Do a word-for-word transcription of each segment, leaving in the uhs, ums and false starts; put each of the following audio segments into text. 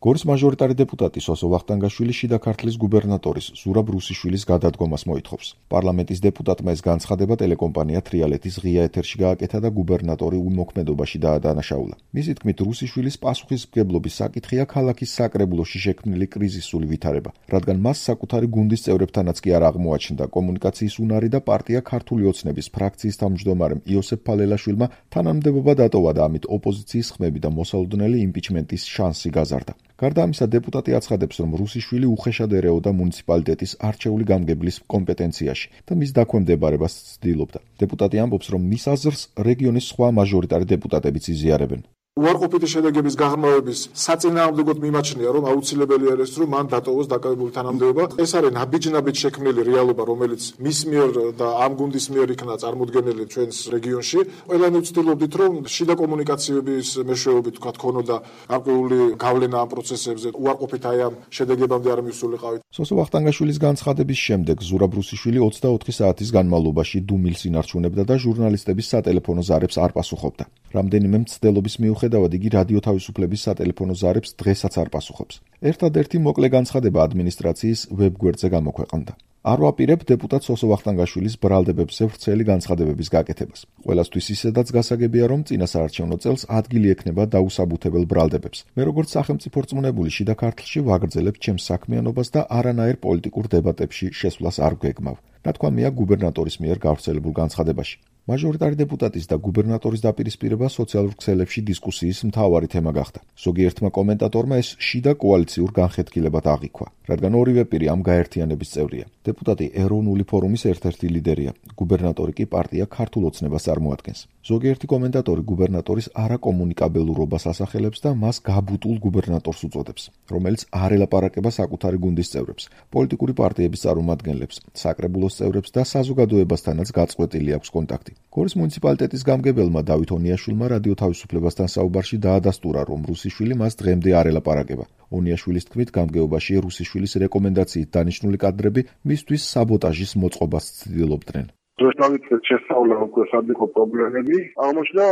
გორის მაჟორიტარი დეპუტატი სოსო ვახტანგაშვილი შიდა ქართლის გუბერნატორის ზურაბ რუსიშვილის გადადგომას მოითხოვს. პარლამენტის დეპუტატმა ეს განცხადება ტელეკომპანია თრიალეთის ღია ეთერში გააკეთა და გუბერნატორი უმოქმედობაში დაადანაშაულა. მისი თქმით, რუსიშვილის პასუხისმგებლობის საკითხია ქალაქის საკრებულოში შექმნილი კრიზისული ვითარება, რადგან მას საკუთარი გუნდის წევრებთანაც კი არ აღმოაჩნდა კომუნიკაციის უნარი და პარტია ქართული ოცნების ფრაქციის თავმჯდომარემ იოსებ ფალელაშვილმა თანამდებობა დატოვა და ამით ოპოზიციის ხმები და მოსალოდნელი იმპიჩმენტის შანსი გაზარდა. გარდა ამისა, დეპუტატი აცხადებს, რომ რუსიშვილი უხეშად ერეოდა მუნიციპალიტეტის არჩეული გამგებლის კომპეტენციაში და მის დაქვემდებარებას ცდილობდა. დეპუტატი ამბობს, რომ მის აზრს რეგიონის სხვა მაჟორიტარი დეპუტატებიც იზიარებენ. უარყოფითი შედეგების გაღრმავების საწინააღმდეგოდ მიმაჩნია, რომ აუცილებელი არის, რომ მან დატოვოს დაკავებული თანამდებობა. ეს არის ნაბიჯ-ნაბიჯ შექმნილი რეალობა, რომელიც მის მიერ და ამ გუნდის მიერ იქნა წარმოდგენილი ჩვენს რეგიონში. ყველანი ვცდილობდით, რომ შიდა კომუნიკაციების მეშვეობით თქვათ ქონოდა გარკვეული გავლენა ამ პროცესებზე, უარყოფით აი ამ შედეგებამდე არ მივსულიყავით. სოსო ვახტანგაშვილის განცხადების შემდეგ ზურაბ რუსიშვილი ოცდაოთხი საათის განმავლობაში დუმილს ინარჩუნებდა და ჟურნალისტების სატელეფონო ზარებს არ პასუხობდა. რამდენიმე მცდელობის მიუხედავად იგი რადიო თავისუფლების სატელეფონო ზარებს დღესაც არ პასუხობს. ერთადერთი მოკლე განცხადება ადმინისტრაციის ვებგვერდზე გამოქვეყნდა. არ ვაპირებ დეპუტატ სოსო ვახტანგაშვილის ბრალდებებზე ვრცელი განცხადებების გაკეთებას. ყველასთვის ისედაც გასაგებია, რომ წინა საარჩევნო წელს ადგილი ექნება დაუსაბუთებელ ბრალდებებს. მე როგორც სახელმწიფო რწმუნებული შიდა ქართლში ვაგრძელებ ჩემს საქმიანობას და არანაირ პოლიტიკურ დებატებში შესვლას არ გვეგმავ. ნათქვამია გუბერნატორის მიერ გავრცელებულ განცხადებაში. მაჟორიტარი დეპუტატის და გუბერნატორის დაპირისპირება სოციალურ ქსელებში დისკუსიის მთავარი თემა გახდა. ზოგიერთმა კომენტატორმა ეს შიდა კოალიციურ განხეთქილებად აღიქვა, რადგან ორივე პირი ამ გაერთიანების წევრია. დეპუტატი ეროვნული ფორუმის ერთ-ერთი ლიდერია, გუბერნატორი კი პარტია ქართულ ოცნებას წარმოადგენს. ზოგიერთი კომენტატორი გუბერნატორის არაკომუნიკაბელურობას ასახელებს და მას გაბუტულ გუბერნატორს უწოდებს, რომელიც არ ელაპარაკება საკუთარი გუნდის წევრებს, პოლიტიკური პარტიების წარმომადგენლებს, საკრებულოს წევრებს და საზოგადოებასთანაც გაწყვეტილი აქვს კონტაქტი. გორის მუნიციპალიტეტის გამგებელმა დავით ონიაშვილმა რადიო თავისუფლებასთან საუბარში დაადასტურა, რომ რუსიშვილი მას დღემდე არ ელაპარაკება. ონიაშვილის თქმით, გამგეობაში რუსიშვილის რეკომენდაციით დანიშნული კადრები მისთვის საბოტაჟის მოწყობას ცდილობდნენ. დროს დავიწყეთ შესწავლა უკვე სად იყო პრობლემები. აღმოჩნდა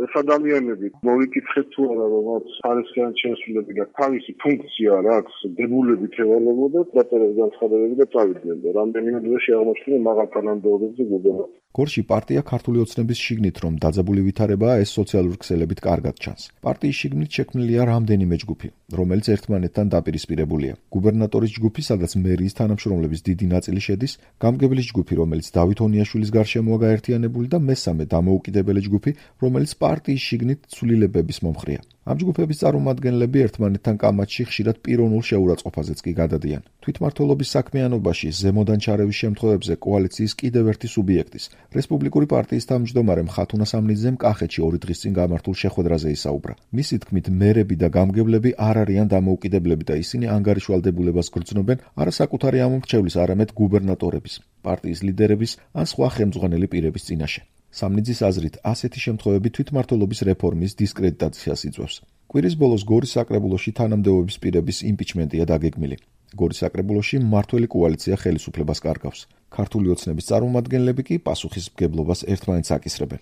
ეს ადამიანები მოვიკითხეთ თუ არა, რომ მათ ხარისხიანი შესრულები და თავისი ფუნქცია რა აქვს, დებულებით ევალებოდათ, დაწერეს განცხადებები და წავიდნენ და რამდენიმე დღეში აღმოჩნდა მაღალ თანამდებობებზე გუბერნატორი. გორში პარტია ქართული ოცნების შიგნით, რომ დაძაბული ვითარებაა, ეს სოციალურ ქსელებით კარგად ჩანს. პარტიის შიგნით შექმნილია რამდენიმე ჯგუფი, რომელიც ერთმანეთთან დაპირისპირებულია. გუბერნატორის ჯგუფი, სადაც მერიის თანამშრომლების დიდი ნაწილი შედის, გამგებლის ჯგუფი, რომელიც დავით ონიაშვილის გარშემოა გაერთიანებული და მესამე დამოუკიდებელი ჯგუფი, რომელიც პარტიის შიგნით ცვლილებების მომხრეა. ამ ჯგუფების წარმომადგენლები ერთმანეთთან კამათში ხშირად პიროვნულ შეურაცხყოფაზეც კი გადადიან. თვითმმართველობის საქმიანობაში ზემოდან ჩარევის შემთხვევებზე კოალიციის კიდევ ერთი სუბიექტის, რესპუბლიკური პარტიის თავმჯდომარე ხათუნა სამნიძემ კახეთში ორი დღის წინ გამართულ შეხვედრაზე ისაუბრა. მისი თქმით, მერები და გამგებლები არ არიან დამოუკიდებლები და ისინი ანგარიშვალდებულებას გრძნობენ არა საკუთარი ამომრჩევლის, არამედ გუბერნატორების, პარტიის ლიდერების ან სხვა ხელმძღვანელი პირების წინაშე. სამნიძის აზრით, ასეთი შემთხვევები თვითმმართველობის რეფორმის დისკრედიტაციას იწვევს. კვირის ბოლოს გორის საკრებულოში თანამდებობის პირების იმპიჩმენტია დაგეგმილი. გორის საკრებულოში მმართველი კოალიცია ხელისუფლებას კარგავს. ქართული ოცნების წარმომადგენლები კი პასუხისმგებლობას ერთმანეთს აკისრებენ.